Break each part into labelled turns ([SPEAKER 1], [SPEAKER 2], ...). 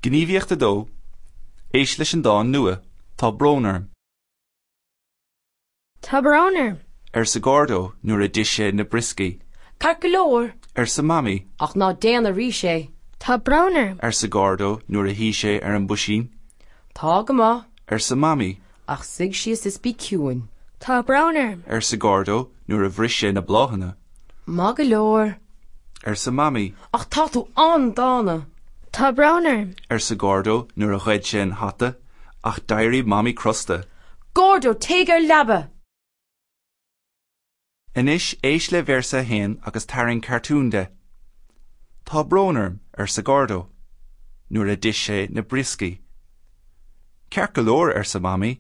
[SPEAKER 1] Gníomhaíocht 2, Éist leis an dán nua, Tá brón orm.
[SPEAKER 2] Tá brón orm.
[SPEAKER 1] arsa Gordo nuair a d'ith sé na brioscaí.
[SPEAKER 3] Ceart go leor.
[SPEAKER 1] arsa Mamaí.
[SPEAKER 3] Ach ná déan arís é.
[SPEAKER 2] Tá brón orm.
[SPEAKER 1] arsa Gordo nuair a shuigh sé ar an bpuisín.
[SPEAKER 3] Tá go maith.
[SPEAKER 1] arsa Mamaí.
[SPEAKER 3] Ach suigh síos is bí ciúin.
[SPEAKER 2] Tá brón orm.
[SPEAKER 1] arsa Gordo nuair a bhris sé na bláthanna.
[SPEAKER 3] Maith go leor.
[SPEAKER 1] arsa Mamaí.
[SPEAKER 3] Ach tá tú an-dána.
[SPEAKER 2] Tá brón orm.
[SPEAKER 1] arsa Gordo nuair a ghoid sé an hata, ach d'éirigh Mamaí crosta.
[SPEAKER 3] Gordo, téigh ar leaba!
[SPEAKER 1] Anois éist le véarsa a haon agus tarraing cartún de. Tá brón orm, arsa Gordo, nuair a d'ith sé na brioscaí. Ceart go leor, arsa Mamaí,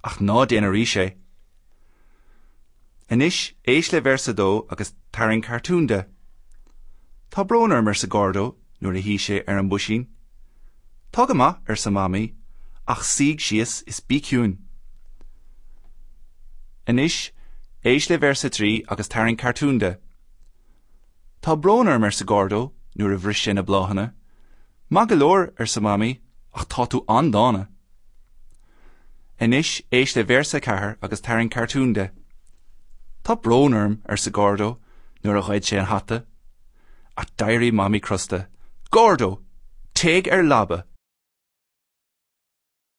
[SPEAKER 1] ach ná déan arís é. Anois éist le véarsa a dó agus tarraing cartún de. Tá brón orm, arsa Gordo nuair a shuigh sé ar an bpuisín. Tá go maith, arsa Mamaí, ach suigh síos is bí ciúin. Anois éist le véarsa 3 agus tarraing cartún de. Tá brón orm, arsa Gordo nuair a bhris sé na bláthanna. Maith go leor, arsa Mamaí, ach tá tú an-dána. Anois éist le véarsa 4 agus tarraing cartún de. Tá brón orm, arsa Gordo nuair a ghoid sé an hata. Ach d'éirigh Mamaí crosta. Gordo! Téigh ar leaba!